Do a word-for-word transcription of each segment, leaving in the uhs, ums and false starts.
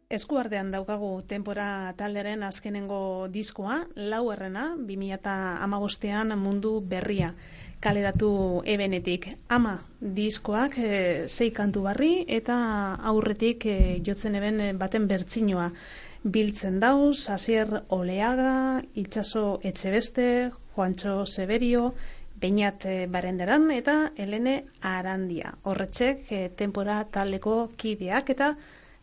Eskuartean daukagu Tenpora taldearen azkenengo diskoa, laugarrena, bi mila hamabostean Mundu Berria kaleratu ebenetik. Ama diskoak e, sei kantu barri eta aurretik e, jotzen eben baten bertsinoa biltzen dauz, Asier Oleaga, Itxaso Etxebeste, Juantxo Severio, Beñat Barenderan eta Helene Arandia. Horretxek e, Tenpora taldeko kideak eta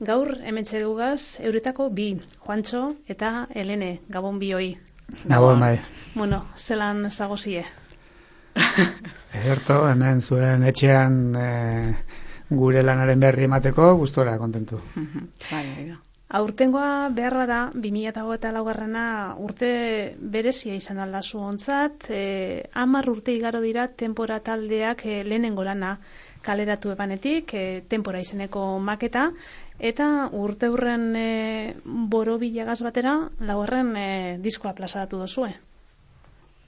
gaur hementxe dugaz euretako bi, Juantxo eta Helene, gabon bioi. Gabon, bai. Bueno, zelan zagozie? Ederto, hemen zuen etxean e, gure lanaren berri emateko gustora kontentu. Aurtengoa behar bada, bi mila hogeita laugarrena urte berezia izan aldazu ontzat, e, hamar urte igaro dira Tenpora taldeak e, lehenengo lana kaleratu ebanetik, e, Tenpora izeneko maketa, eta urte hurren e, borobilagaz batera, laugarren e, diskoa plazaratu dozue.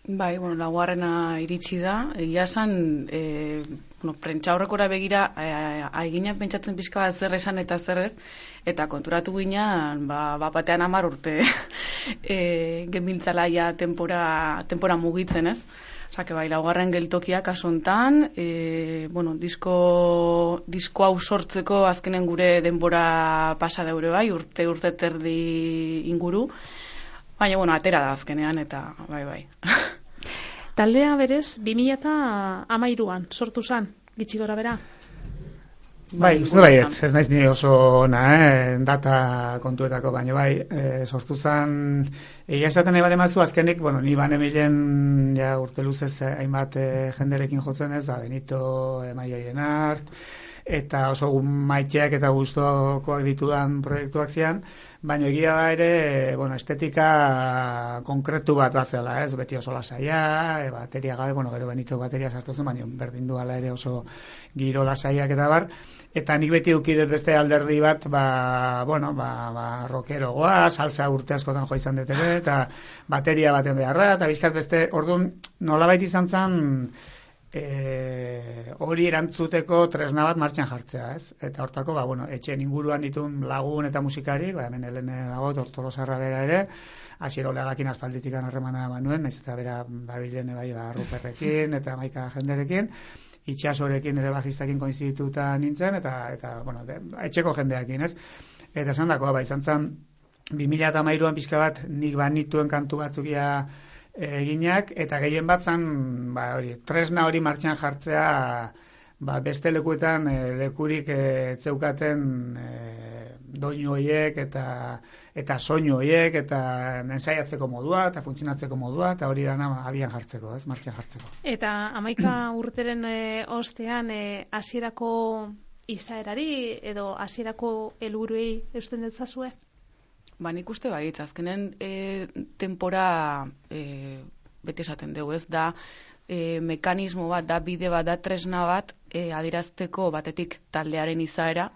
Bai, bueno, laugarrena iritsi da, egia esan, e, bueno, prentxaurrekora begira, aiginak pentsatzen pixka bat zer esan eta zer ez, eta konturatu ginean, ba, batean hamar urte e, genbiltzalaia Tenpora, Tenpora mugitzen ez. Osake bai, laugarren geltokia kasu hontan, e, bueno, disko, disko hau sortzeko azkenen gure denbora pasa daure bai, urte urte terdi inguru, baina, bueno, atera da azkenean, eta bai, bai. Taldea berez, bi mila hamairuan sortu zan, gitxi gora bera? Bai, uste bai, ez, ez naiz ni oso ona, eh, data kontuetako, baina bai, eh, sortu zan, egia esaten nahi bat emazu, azkenik, bueno, ni bane milen, ja, urte luzez, eh, hainbat eh, jenderekin jotzen ez, da, Benito, eh, Maioien Art, eta oso maiteak eta gustokoak ditudan proiektuak zian, baina egia da ere, bueno, estetika konkretu bat bazela, ez, beti oso lasaia, e, bateria gabe, bueno, gero Benito bateria sartu zen, baina berdin du ala ere oso giro lasaiak eta bar, eta nik beti ukidet beste alderdi bat, ba, bueno, ba, ba, rockerogoa, salsa urte askotan jo izan dut ere, eta bateria baten beharra, eta bizkat beste, orduan, nolabait izan zen, E, hori erantzuteko tresna bat martxan jartzea, ez? Eta hortako, ba, bueno, etxen inguruan ditun lagun eta musikari, ba, hemen Helene dago, Tortolosarra bera ere, Asier Oleagakin aspalditikan harremana banuen, naiz eta bera babilene bai, ba, Ruperrekin eta maika jenderekin, Itxasorekin ere bajistakin koinzidituta nintzen, eta, eta bueno, de, etxeko jendeakin, ez? Eta esan dakoa, ba, izan zen, bi mila hamairuan pixka bat, nik banituen kantu batzukia eginak, eta gehien bat zan, ba, hori, tresna hori martxan jartzea, ba, beste lekuetan e, lekurik e, zeukaten e, doinu horiek eta eta soinu horiek eta ensaiatzeko modua eta funtzionatzeko modua eta hori dana abian jartzeko, ez, martxan jartzeko. Eta hamaika urteren e, ostean e, hasierako izaerari edo hasierako helburuei eusten detzazue? Ba, nik uste baietz, azkenen e, Tenpora e, bete esaten dugu, ez da e, mekanismo bat, da bide bat, da tresna bat e, adierazteko batetik taldearen izaera,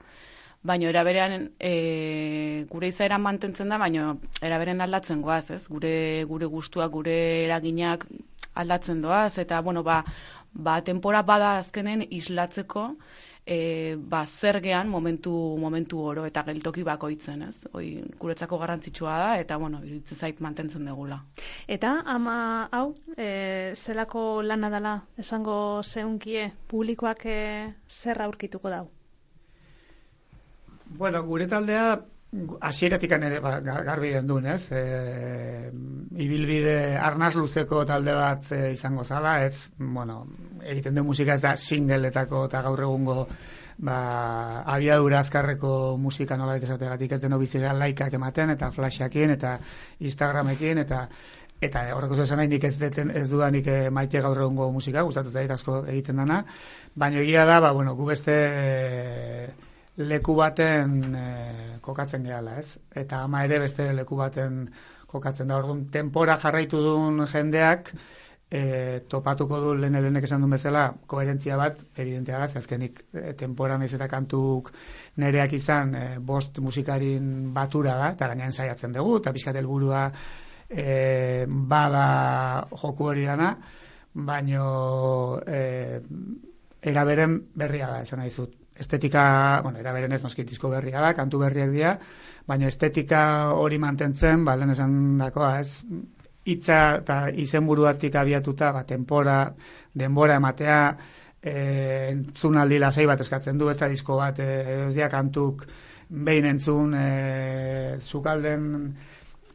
baina eraberean e, gure izaera mantentzen da, baina eraberen aldatzen goaz, ez? Gure, gure gustuak, gure eraginak aldatzen doaz, eta, bueno, ba, ba Tenpora bada azkenen islatzeko, E, ba, zergean momentu, momentu oro eta geltoki bakoitzen, ez? Hoi guretzako garrantzitsua da eta, bueno, iruditzen zait mantentzen degula. Eta ama hau, e, zelako lana dela esango zeunkie publikoak e, zer aurkituko dau? Bueno, gure taldea hasieratik ere ba, garbi gendun, ez? E, ibilbide arnaz luzeko talde bat e, izango zala, ez, bueno, egiten du musika ez da singletako eta gaur egungo ba, abiadura azkarreko musika nola esategatik ez deno bizitza laikak ematen eta flashakin eta Instagramekin eta eta horreko esan nahi nik ez, deten, ez dudanik e, maite gaur egungo musika, gustatzen zait asko egiten dana, baina egia da, ba, bueno, gu beste e, leku baten e, kokatzen gehala, ez? Eta ama ere beste leku baten kokatzen da. Orduan, Tenpora jarraitu duen jendeak e, topatuko du lehen elenek esan duen bezala koherentzia bat, evidentea da, azkenik e, Tenpora naiz eta kantuk nereak izan e, bost musikarin batura da, eta gainean saiatzen dugu, eta pixkat helburua e, bada joku hori dana, baino e, eraberen berria da, esan nahi zut. estetika, bueno, era beren ez noski disko berria da, kantu berriak dira, baina estetika hori mantentzen, ba, lehen esan dakoa, ez, hitza eta izenburuatik abiatuta, ba, tempora, denbora ematea, e, entzunaldi lasai bat eskatzen du, ez da disko bat, e, ez dira kantuk behin entzun, e, sukalden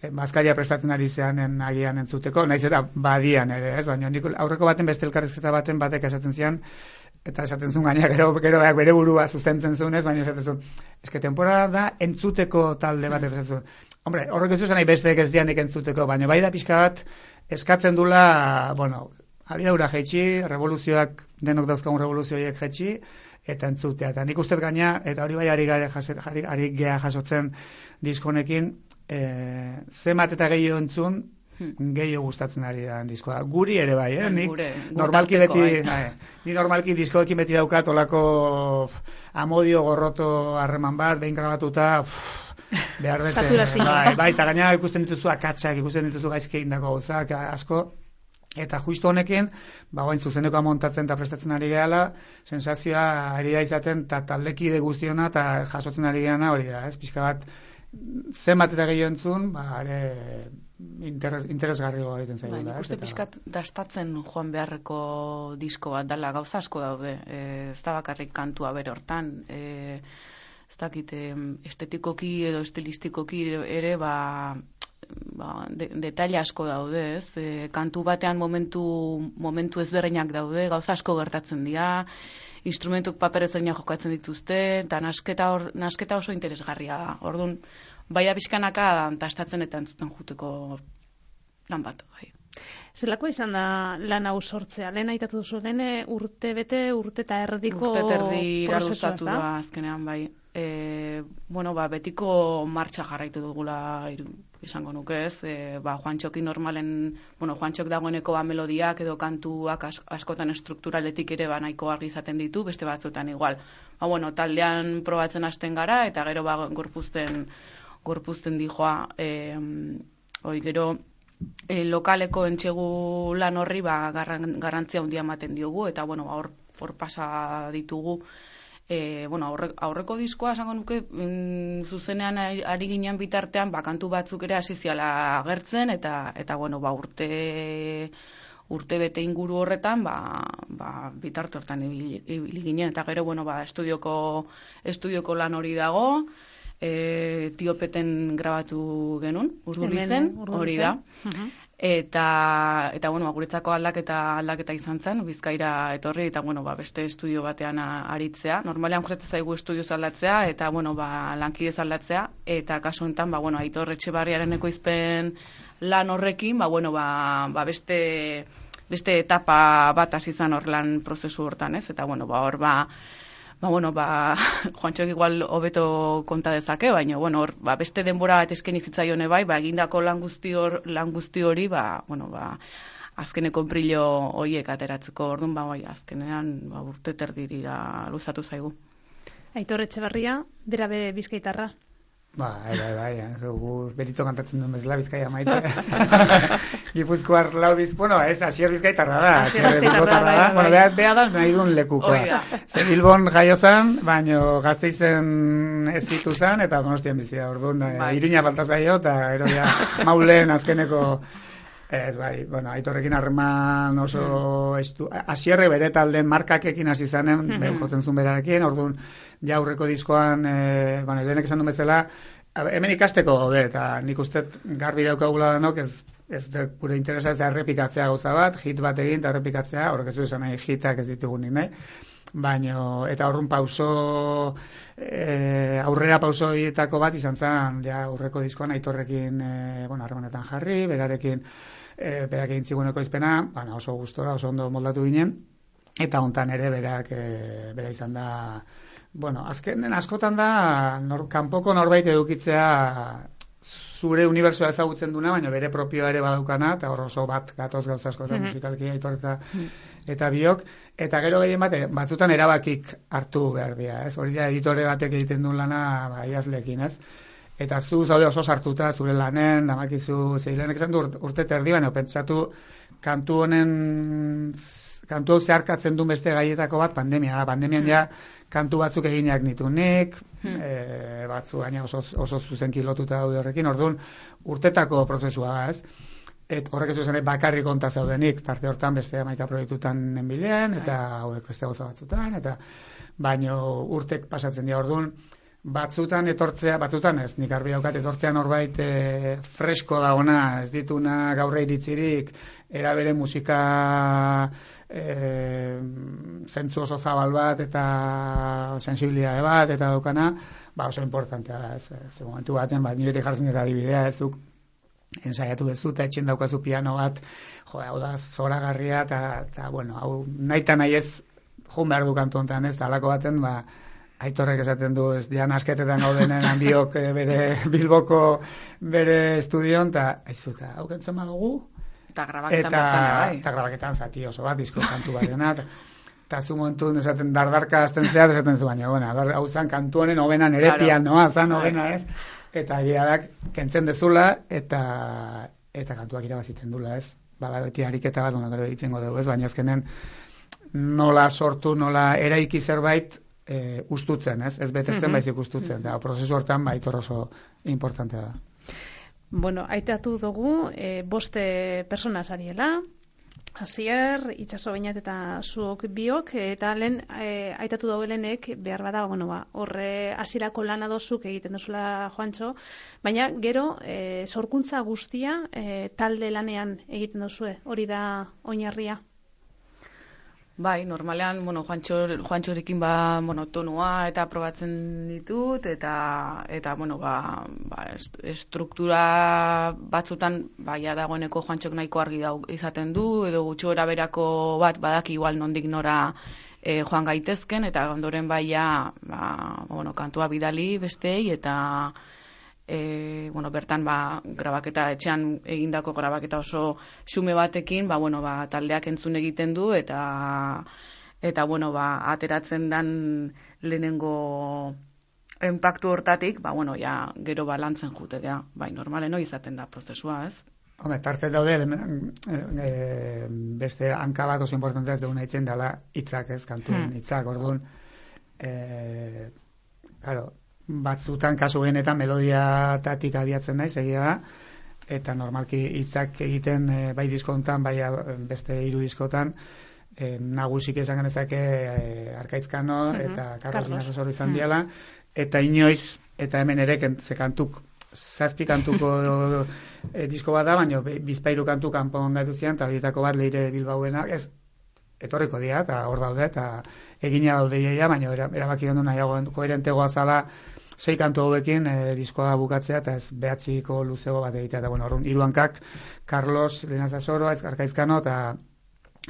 e, bazkaria prestatzen ari zeanen agian entzuteko, naiz eta badian ere, ez, baina nik aurreko baten beste elkarrizketa baten batek esaten zian, eta esaten zuen gaina, gero, gero bere burua sustentzen zuen ez, baina esaten zuen, eske temporada da entzuteko talde bat esaten zuen. Hombre, horrek ez zuen besteek ez dianik entzuteko, baina bai da pixka bat eskatzen dula, bueno, abiaura jaitsi, revoluzioak, denok dauzkagun revoluzioiek jaitsi, eta entzutea. Eta nik ustez gaina, eta hori bai ari gea jasotzen diskonekin, e, zemat eta gehiago entzun, gehiago gustatzen ari da diskoa. Guri ere bai, eh? Nik Gure, normalki beti, bai. bai, ni normalki diskoekin beti daukat olako amodio gorroto harreman bat, behin grabatuta, behar dute. Saturazioa. Bai, bai, eta gaina ikusten dituzu akatsak, ikusten dituzu gaizki egindako gauzak asko. Eta justu honekin, ba, guain zuzenekoa montatzen eta prestatzen ari gehala, sensazioa ari da izaten, eta taldekide guztiona, eta jasotzen ari gehala hori da, ez? Pixka bat, zenbat eta gehiago entzun, ba, ere interes, interesgarrigo egiten zaigu. Bai, da, nik uste eta... pixkat dastatzen joan beharreko disko bat dala, gauza asko daude, e, ez da bakarrik kantua bere hortan, e, ez dakit, estetikoki edo estilistikoki ere, ba, ba, de, detaile asko daude, ez? E, kantu batean momentu, momentu ezberdinak daude, gauza asko gertatzen dira, instrumentuk paper ezberdinak jokatzen dituzte, eta nasketa, or, nasketa oso interesgarria da. Orduan, bai da pixkanaka dastatzen eta entzuten juteko lan bat, bai. Zelako izan da lan hau sortzea? Lehen aitatu duzu, lehen urte bete, urte eta erdiko urte terdi prozesua, luzatu da, azkenean, bai. E, bueno, ba, betiko martxa jarraitu dugula izango nuke ez, e, ba, Juantxoki normalen, bueno, Juantxok dagoeneko ba, melodiak edo kantuak as, askotan strukturaletik ere ba, nahiko argi izaten ditu, beste batzuetan igual. Ba, bueno, taldean probatzen hasten gara, eta gero ba, gorpuzten, gorpuzten dijoa, e, oi, gero, e, lokaleko entxegu lan horri ba, garran, garrantzia handia ematen diogu, eta bueno, hor, hor pasa ditugu. E, bueno, aurre, aurreko diskoa esango nuke mm, zuzenean ari ginen bitartean ba, kantu batzuk ere hasi ziala agertzen eta eta bueno, ba, urte urte bete inguru horretan ba, ba, bitarte hortan ibili, ibili ginen eta gero bueno, ba, estudioko estudioko lan hori dago, e, Tiopeten grabatu genuen, Urdurizen, hori da. Uh-huh. Eta, eta bueno, guretzako aldaketa aldaketa izan zen, Bizkaira etorri, eta bueno, ba, beste estudio batean aritzea. Normalean gustatzen zaigu estudio aldatzea, eta bueno, ba, lankidez aldatzea, eta kasu honetan, ba, bueno, Aitor Etxebarriaren ekoizpen lan horrekin, ba, bueno, ba, ba beste, beste etapa bat hasi izan hor lan prozesu hortan, ez? Eta bueno, ba, hor, ba, Ba, bueno, ba, Juantxok igual hobeto konta dezake, baina, bueno, hor, ba, beste denbora bat eskeni zitzaione bai, ba, egindako lan guzti hor, lan guzti hori, ba, bueno, ba, azkeneko brillo horiek ateratzeko, orduan, ba, bai, azkenean, ba, urte terdirira luzatu zaigu. Aitor Etxebarria, bera be bizkaitarra. Ba, bai, bai, bai, gu berito kantatzen duen bezala Bizkaia maite. Gipuzkoar lau biz, bueno, ez, Asier Bizkaitarra da. Asier Bizkaitarra da, bai, bueno, beha, beha da, nahi duen lekukoa. Zer Bilbon jaio zan, baino Gasteizen ez zitu zan, eta Donostian bizia, orduan, bai. Iruña falta zaio, eta ero ja, maulen azkeneko, ez, bai, bueno, Aitorrekin harreman oso estu, Asierre bere talden markakekin hasi zanen, mm -hmm. jotzen zuen berarekin, orduan, ja aurreko diskoan, e, bueno, lehenek esan duen bezala, hemen ikasteko gaude, eta nik uste garbi daukagula denok, ez, ez de, gure interesa ez da errepikatzea gauza bat, hit bat egin eta errepikatzea, horrek ez du esan nahi hitak ez ditugunik nahi, baino, eta horren pauso, e, aurrera pauso horietako bat izan zen, ja aurreko diskoan Aitorrekin, e, bueno, harremanetan jarri, berarekin, e, berak egin ziguneko izpena, bueno, oso gustora, oso ondo moldatu ginen, eta hontan ere berak, e, bera izan da, bueno, azkenen askotan da, nor, kanpoko norbait edukitzea zure unibertsoa ezagutzen duna, baina bere propioa ere badaukana, eta hor oso bat gatoz gauza asko, mm-hmm. musikalki Aitor eta, eta biok, eta gero gehien bate, batzutan erabakik hartu behar dira, ez? Hori da editore batek egiten duen lana, ba, idazleekin, ez? Eta zu zaude oso sartuta zure lanen, damakizu, zeilenek esan du urte terdi, baina pentsatu kantu honen kantu hau zeharkatzen duen beste gaietako bat pandemia da. Pandemian ja kantu batzuk eginak nitu nik, hmm. e, batzu gaina oso, oso zuzenki lotuta daude horrekin, orduan urtetako prozesua da, ez? Et horrek ez duzen bakarrik konta zaudenik, tarte hortan beste hamaika proiektutan nenbilen, eta hauek beste gauza batzutan, eta baino urtek pasatzen dira orduan, batzutan etortzea, batzutan ez, nik argi daukat etortzea norbait e, fresko da ona, ez dituna gaurre iritzirik, erabere musika e, zentzu oso zabal bat eta sensibilitate bat eta daukana, ba oso importantea da, ez, ez momentu baten, ba, nire jartzen dira adibidea, ez duk, ensaiatu dezu, eta etxen daukazu piano bat, jo, hau da, zoragarria, eta, bueno, hau, nahi eta nahi ez, joan behar du kantu honetan, ez, talako baten, ba, Aitorrek esaten du, ez dian asketetan gaudenen handiok bere Bilboko bere estudion, eta aizu, eta hau kentzen badugu. Eta grabaketan bertan, bai. Eta grabaketan zati oso bat, disko kantu bat dena, eta zu momentu esaten dardarka azten zehat, esaten zu baina, bueno, hau zan kantu honen hobenan ere claro. Pianoa, zan hobena ez, eta egiadak kentzen dezula, eta eta kantuak irabaziten dula, ez. Bada beti ariketa bat, bueno, gero ditzengo dugu, ez, baina azkenen nola sortu, nola eraiki zerbait, E, ustutzen, ez? Ez betetzen, mm-hmm. baizik ustutzen. Da, prozesu hortan, baitor oso importantea da. Bueno, aitatu dugu, e, boste persona zariela, Asier, Itxaso Beñat eta zuok biok, eta lehen e, aitatu dagoelenek behar bada, bueno, ba, horre hasierako lana dozuk egiten dozula Juantxo, baina gero e, sorkuntza guztia e, talde lanean egiten dozue, hori da oinarria. Bai, normalean, bueno, Juantxo, Juantxorekin ba, bueno, tonua eta probatzen ditut, eta, eta bueno, ba, ba, estruktura batzutan, ba, ja dagoeneko Juantxok nahiko argi da izaten du, edo gutxora berako bat, badaki igual nondik nora e, joan gaitezken, eta ondoren bai, ja, ba, bueno, kantua bidali bestei, eta E, bueno, bertan ba, grabaketa etxean egindako grabaketa oso xume batekin, ba, bueno, ba, taldeak entzun egiten du eta eta bueno, ba, ateratzen dan lehenengo enpaktu hortatik, ba, bueno, ja, gero balantzen jute, ja, bai, normalen hori izaten da prozesua, ez? Hombre, tarte daude, e, beste hanka bat oso importantea ez duguna itzen dela hitzak, ez, kantuen hitzak, hmm. orduan, e, claro, batzutan kasu genetan melodiatatik abiatzen naiz, egia da, eta normalki hitzak egiten e, bai diskontan, bai beste hiru diskotan, e, nagusik esan genezake e, Arkaitzkano uh-huh. eta Carlos Dinasosoro izan uh-huh. diala, eta inoiz, eta hemen ere ze kantuk, zazpi kantuko e, disko bat da, baina bizpairu kantu kanpon gaitu zian, eta horietako bat Leire Bilbauena, ez, etorriko dira, eta hor daude, eta egina daude iaia, baina erabaki gendu nahiago koherentegoa zala, sei kantu hauekin e, diskoa bukatzea, eta ez behatziko luzego bat egitea, eta bueno, orrun, hiru hankak, Carlos Dinasosoro, Arkaizkano, eta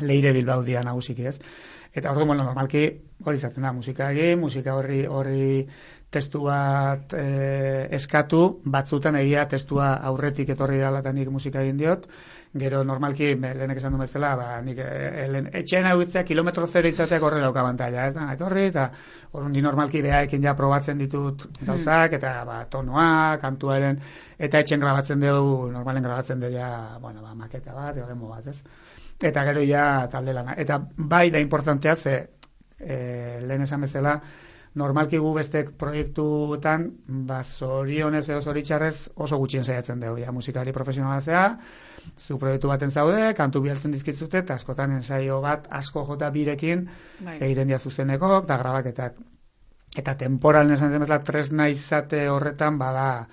Leire Bilbao dira nagusiki, ez? Eta orduan, bueno, normalki hori izaten da, musika egin, musika horri horri testu bat e, eskatu, batzutan egia testua aurretik etorri dela eta nik musika egin diot, gero normalki, lehenek esan du bezala, ba, nik e, etxean hauitzea kilometro zero izateak horre dauka bantaila, ez da, etorri, eta orduan ni normalki behaekin ja probatzen ditut gauzak, eta ba, tonua, kantuaren, eta etxen grabatzen dugu, normalen grabatzen dugu, ja, bueno, ba, maketa bat, edo demo bat, ez? Eta gero ja talde lana. Eta bai da importantea, ze e, lehen esan bezala, normalki gu beste proiektuetan, ba, zorionez edo zoritxarrez oso gutxien saiatzen dugu, ja, musikari profesionala zea, zu proiektu baten zaude, kantu bialtzen dizkitzute, eta askotan ensaio bat asko jota birekin bai. Egiten dia zuzenekok, eta grabaketak. Eta temporalen esan den bezala, tresna izate horretan, bada,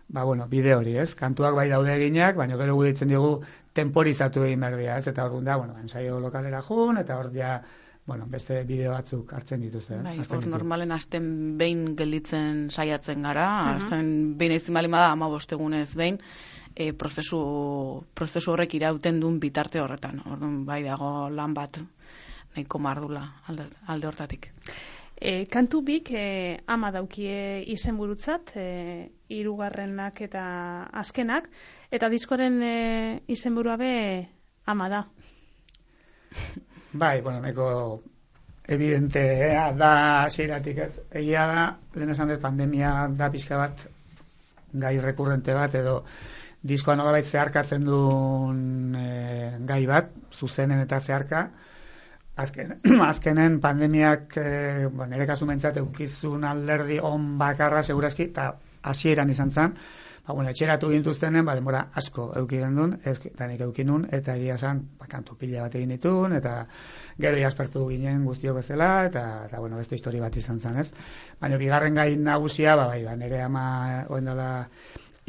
ba, bueno, bide hori, ez? Kantuak bai daude eginak, baina gero gu ditzen diogu temporizatu egin behar dira, ez? Eta hor da, bueno, ensaio lokalera jun, eta hor ja, bueno, beste bideo batzuk hartzen dituzte. Bai, hor normalen hasten behin gelditzen saiatzen gara, hasten uh-huh. behin ezin bali bada hamabost egunez behin, e, prozesu, prozesu horrek irauten duen bitarte horretan. Orduan bai dago lan bat nahiko mardula alde, alde hortatik. E, kantu bik e, ama daukie izenburutzat, e, hirugarrenak eta azkenak, eta diskoren e, izenburua be ama da. Bai, bueno, neko evidentea da hasieratik, ez. Egia da, lehen esan dut pandemia da pixka bat gai rekurrente bat, edo diskoa nolabait zeharkatzen duen e, gai bat, zuzenen eta zeharka. azken, azkenen pandemiak, e, bueno, nire kasu mentzat eukizun alderdi on bakarra segurazki, eta hasieran izan zen, ba, bueno, etxeratu gintuztenen, ba, denbora asko eukigen duen, eta nik eukinun, eta egia zen, ba, kantu pila bat egin ditun, eta gero jaspertu ginen guztiok bezala, eta, eta bueno, beste histori bat izan zen, ez? Baina, bigarren gai nagusia, ba, bai, ba, nire ama oen dela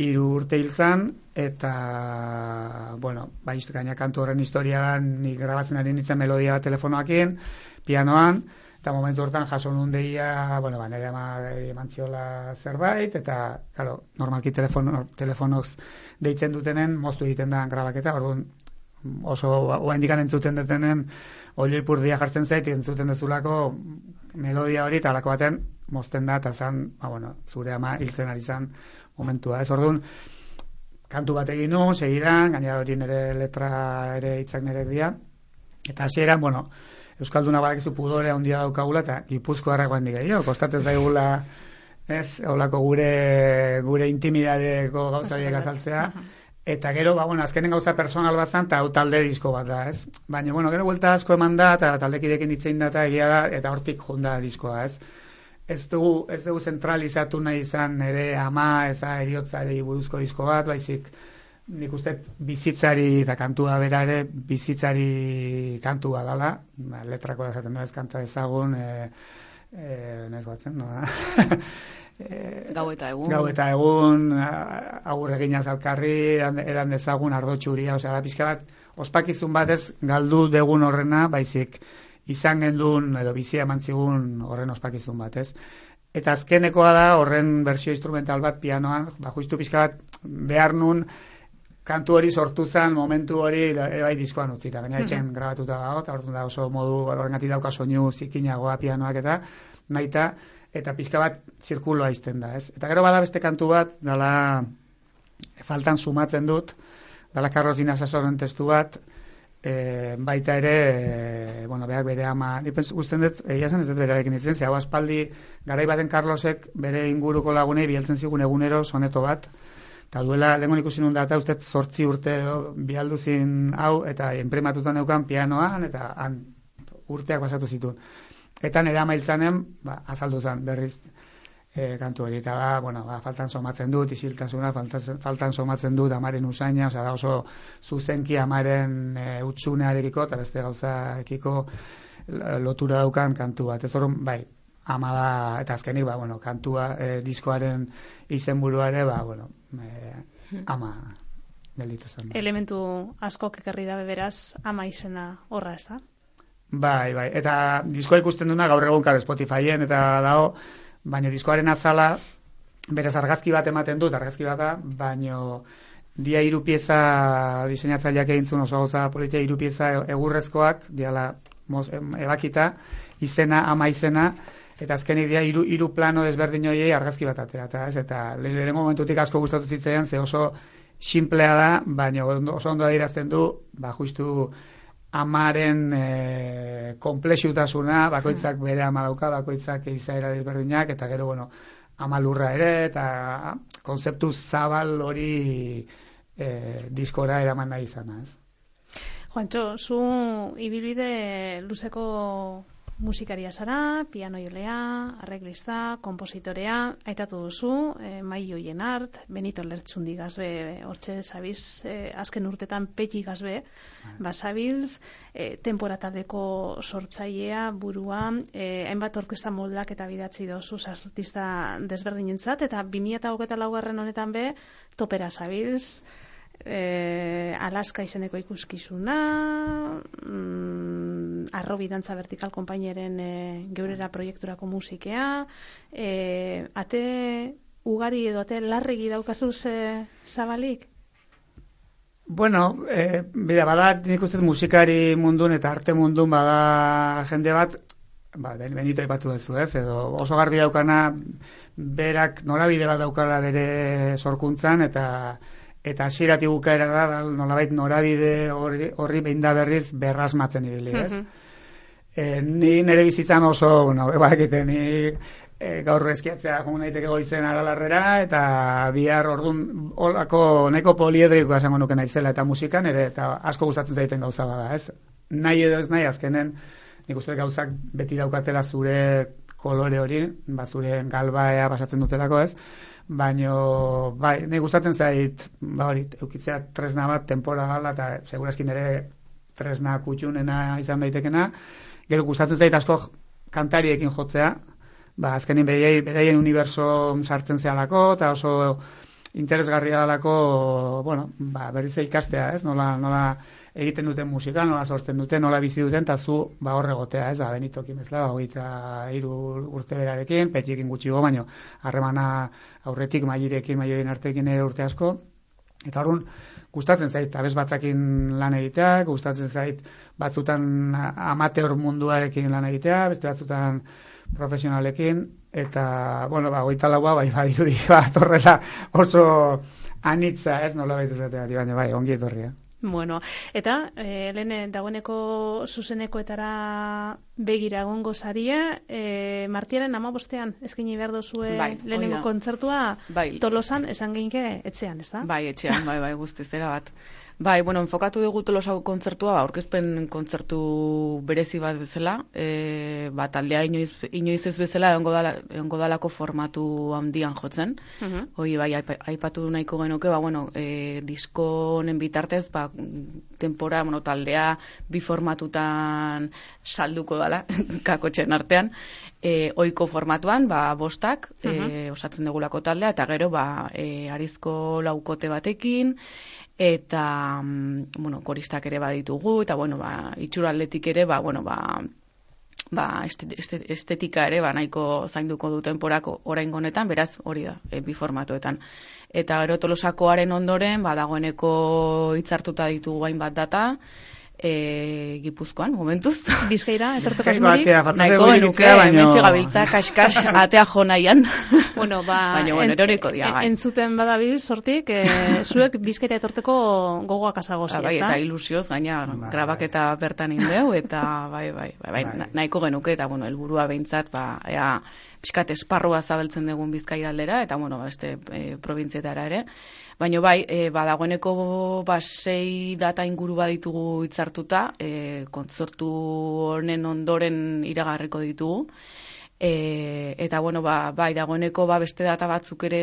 hiru urte hil zan, eta, bueno, ba, gaina kantu horren historia da, nik grabatzen ari nintzen melodia bat telefonoakin, pianoan, eta momentu hortan jaso nun deia, bueno, ba, nire ama emantziola zerbait, eta, claro, normalki telefono, telefonoz deitzen dutenen, moztu egiten da grabaketa, orduan, oso, oa indikan entzuten dutenen, olio ipurdia jartzen zait, entzuten dezulako melodia hori, eta alako baten, mozten da, eta zan, ba, bueno, zure ama hiltzen ari zan momentua, ez orduan, kantu bat egin nun, segidan, gainera hori nire letra ere hitzak nire dira, eta hasieran, bueno, Euskalduna badakizu pudorea handia daukagula, eta Gipuzkoarrak bandik gehiago, kostatzen zaigula, ez, holako gure, gure intimidadeko gauzariek azaltzea, eta gero, ba, bueno, azkenen gauza personal bat zan, eta hau talde disko bat da, ez? Baina, bueno, gero vuelta asko eman da, eta taldekidekin hitzein da, eta egia da, eta hortik junda diskoa, ez? Ez dugu, ez dugu zentralizatu nahi izan ere ama, eza eriotzari buruzko disko bat, baizik, nik uste bizitzari eta kantua bera ere bizitzari kantua dala, ba, letrako esaten da ez kanta ezagun, e, e, nez batzen, no? e, gau eta egun. Gau eta egun, agur eginaz alkarri, eran dezagun ardo txuria, osea, da pixka bat, ospakizun bat ez galdu degun horrena, baizik, izan gendun, edo bizia mantzigun horren ospakizun bat, ez? Eta azkenekoa da, horren bersio instrumental bat pianoan, ba, justu pixka bat behar nun, kantu hori sortu zen, momentu hori, bai diskoan utzita, baina etxen mm-hmm. grabatuta dago, eta orduan da oso modu, horrengatik dauka soinu zikinagoa pianoak eta, nahita, eta pixka bat zirkuloa izten da, ez? Eta gero bada beste kantu bat, dala, faltan sumatzen dut, dala Carlos Dina Sasoren testu bat, e, baita ere, e, bueno, berak bere ama, nipens guztien dut, egia zen ez dut berarekin itzen, ze hau aspaldi, garai baten Carlosek bere inguruko lagunei biheltzen zigun egunero soneto bat, eta duela, lehenko ikusi nun da, eta uste zortzi urte bihalduzin hau, eta enprematutan neukan pianoan, eta han urteak pasatu zituen. Eta nire ama hiltzanen, ba, azaldu zen berriz e, kantu hori, eta da, bueno, ba, faltan somatzen dut, isiltasuna, faltan, faltan somatzen dut amaren usaina, osea, da oso zuzenki amaren e, utsunearekiko, eta beste gauzaekiko lotura daukan kantu bat. Ez horren, bai, ama da, eta azkenik, ba, bueno, kantua, e, diskoaren izenburua ere, ba, bueno, e, ama gelditu zen. Elementu askok ekarri dabe beraz, ama izena horra, ez da? Bai, bai, eta diskoa ikusten duna gaur egun kar Spotifyen, eta dago, baina diskoaren azala, berez argazki bat ematen dut, argazki bat da, baina dia hiru pieza diseinatzaileak egintzun oso gauza politia hiru pieza egurrezkoak, diala moz, ebakita, izena, ama izena, eta azkenik dia hiru hiru plano desberdin horiei argazki bat atera, eta ez, eta lehen momentutik asko gustatu zitzaidan, ze oso simplea da, baina oso ondo adierazten du, ba justu amaren e, komplexutasuna, bakoitzak bere ama dauka, bakoitzak izaera desberdinak, eta gero, bueno, ama lurra ere, eta konzeptu zabal hori e, diskora eraman nahi izana, ez? Juantxo, zu ibilbide luzeko musikaria zara, pianoilea, arreglista, kompositorea, aitatu duzu, e, Maio Jenart, Benito Lertxundi gazbe, hortxe zabiz, e, azken urtetan Peti gazbe, basabilz, e, temporataldeko sortzailea, burua, e, hainbat orkesta moldak eta bidatzi dozu artista desberdinentzat, eta bi mila hogeita laugarren honetan be, topera zabilz, E, Alaska izeneko ikuskizuna, mm, Arrobi Dantza Vertikal konpainiaren e, geurera proiekturako musikea, e, ate ugari edo ate larregi daukazuz e, zabalik? Bueno, e, bida, bada nik uste musikari mundun eta arte mundun bada jende bat, ba, Benito aipatu duzu, ez, edo oso garbi daukana berak norabide bat daukala bere sorkuntzan, eta eta hasieratik bukaera da, nolabait norabide horri, horri behin da berriz berrasmatzen ibili, ez? Mm-hmm. E, ni nire bizitzan oso, bueno, ebakiten, ni e, gaur eskiatzea joan daiteke goizen aralarrera, eta bihar ordun holako neko poliedrikoa esango nuke naizela, eta musikan ere, eta asko gustatzen zaiten gauza bada, ez? Nahi edo ez nahi, azkenen nik uste gauzak beti daukatela zure kolore hori, ba, zure galbaea pasatzen dutelako ez, baino, bai, nik gustatzen zait, ba hori, eukitzea tresna bat, tempora gala, eta segurazkin ere tresna kutxunena izan daitekena, gero gustatzen zait asko kantariekin jotzea, ba, azkenin beraien uniberso sartzen zehalako, eta oso interesgarria dalako, bueno, ba, berriz ikastea, ez? Nola, nola egiten duten musika, nola sortzen duten, nola bizi duten, eta zu, ba, hor egotea, ez? Ba, Benitokin bezala, hogeita hiru urte berarekin, Petiekin gutxigo, baino, harremana aurretik mailerekin, mailerin artekin ere urte asko, eta horren, gustatzen zait, abez batzakin lan egitea, gustatzen zait, batzutan amateur munduarekin lan egitea, beste batzutan profesionalekin, eta, bueno, ba, goita laua, bai, bai, irudi, ba, torrela oso anitza, ez, nola baita zateari, baina, bai, ongi etorria. Bueno, eta, e, lehen dagoeneko zuzenekoetara begira egongo zaria, e, martiaren amabostean eskaini behar dozue bai, lehenengo kontzertua bai. Tolosan, esan geinke etxean, ez da? Bai, etxean, bai, bai, guztiz, era bat. Bai, bueno, enfokatu dugu Tolosako kontzertua, ba, aurkezpen kontzertu berezi bat bezala, e, ba, taldea inoiz, inoiz ez bezala egongo dala, egongo dalako formatu handian jotzen. Uh-huh. Hoi, bai, aipatu nahiko genuke, ba, bueno, e, disko honen bitartez, ba, tempora, bueno, taldea bi formatutan salduko dala, kakotxen artean, e, oiko formatuan, ba, bostak, uh-huh. e, osatzen dugulako taldea, eta gero, ba, e, arizko laukote batekin, eta, bueno, koristak ere baditugu, eta, bueno, ba, itxura atletik ere, ba, bueno, ba, ba, estetika ere, ba, nahiko zainduko du temporako oraingo honetan, beraz, hori da, e, bi formatuetan. Eta gero Tolosakoaren ondoren, ba, dagoeneko hitzartuta ditugu hainbat data, e, Gipuzkoan, momentuz. Bizkaira, etortzeko asmorik? Nahiko genuke, hementxe gabiltza, kaskas, atea jo nahian. Bueno, ba, baina, bueno, eroriko dia, bai. Entzuten badabiz, sortik, e, zuek Bizkaira etorteko gogoak azagozi, bai, eta ilusioz, gaina, grabaketa bertan indeu, eta bai, bai, bai, bai, nahiko genuke, eta, bueno, helburua behintzat, ba, ea, pixkat esparrua zabaltzen dugun Bizkaira aldera, eta, bueno, beste e, probintzietara ere. Baina bai, e, badagoeneko ba, sei data inguru baditugu hitzartuta, e, kontzertu honen ondoren iragarriko ditugu. E, eta bueno, ba, bai, dagoeneko ba, beste data batzuk ere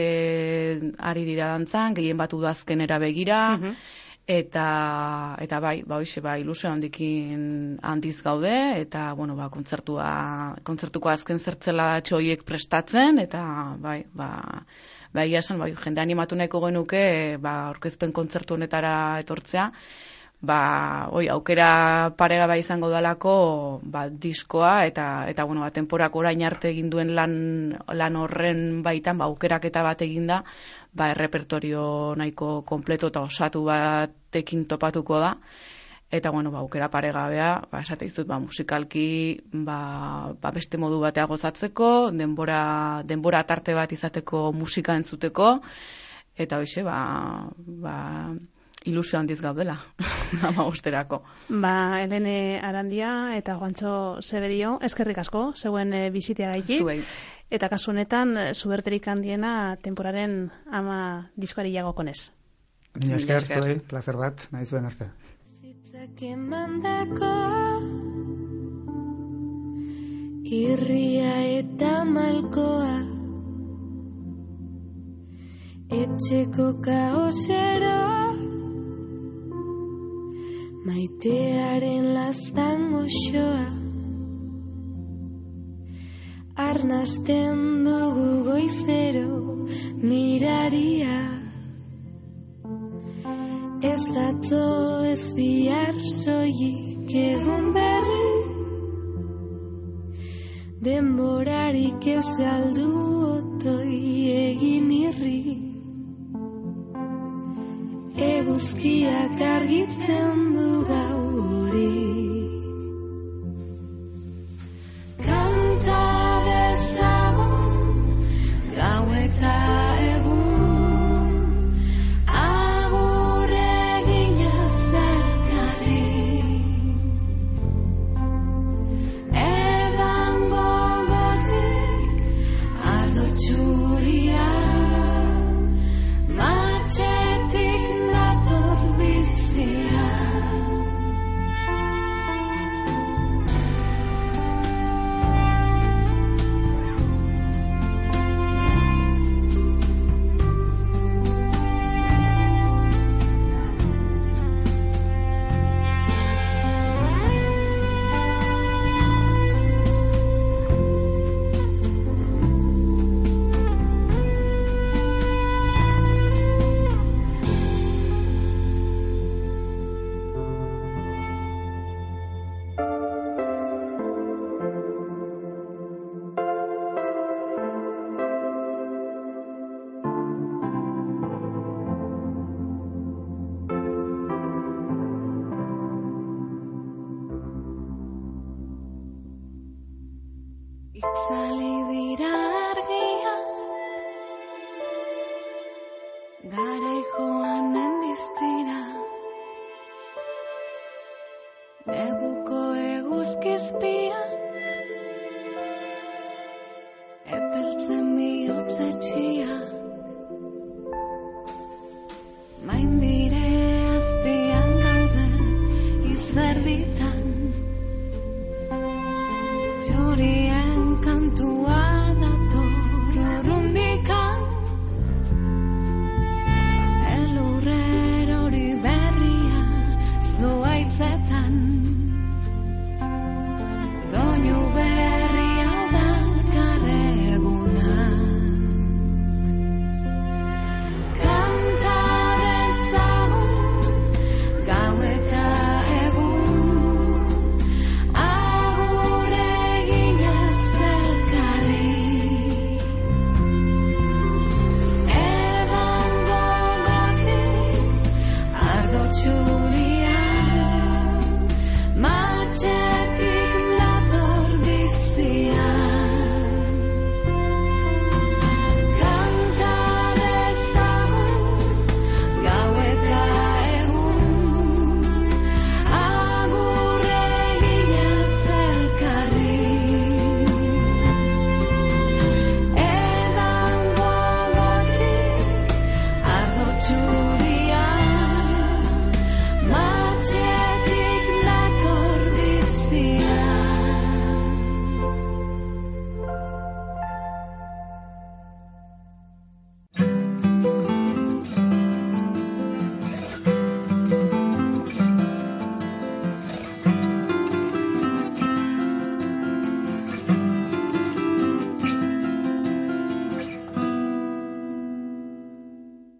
ari dira dantzan, gehien bat udazkenera begira, uh-huh. eta, eta bai, ba, hoxe, ba, ilusio handikin handiz gaude, eta bueno, ba, kontzertua, kontzertuko azken zertzela txoiek prestatzen, eta bai, ba, Ba, ia esan, bai, jende animatu nahiko genuke, ba, aurkezpen kontzertu honetara etortzea, ba, oi, aukera parega bai izango dalako, ba, diskoa, eta, eta bueno, ba, temporak orain arte egin duen lan, lan horren baitan, ba, aukeraketa bat eginda, ba, errepertorio nahiko kompleto eta osatu batekin topatuko da. Eta, bueno, ba, aukera paregabea, ba, esate izut, ba, musikalki, ba, ba, beste modu batea gozatzeko, denbora, denbora tarte bat izateko musika entzuteko, eta hoxe, ba, ba, ilusio handiz gaudela, amabosterako. Ba, Helene Arandia eta Juantxo Zeberio, eskerrik asko, zeuen e, bizitea gaiti. Zuei. Eta kasu honetan, zuberterik handiena temporaren ama diskoari jagokonez. Mila esker, zuei, placer bat, nahi zuen arte. Kemandako irria eta malkoa etxeko kaosero maitearen lastan goxoa arnasten dugu goizero miraria ez atzo ez bihar soilik egun berri denborarik ez galdu otoi egin irri eguzkiak argitzen du gau hori kanta bezagun gau eta itzali dira argia, gara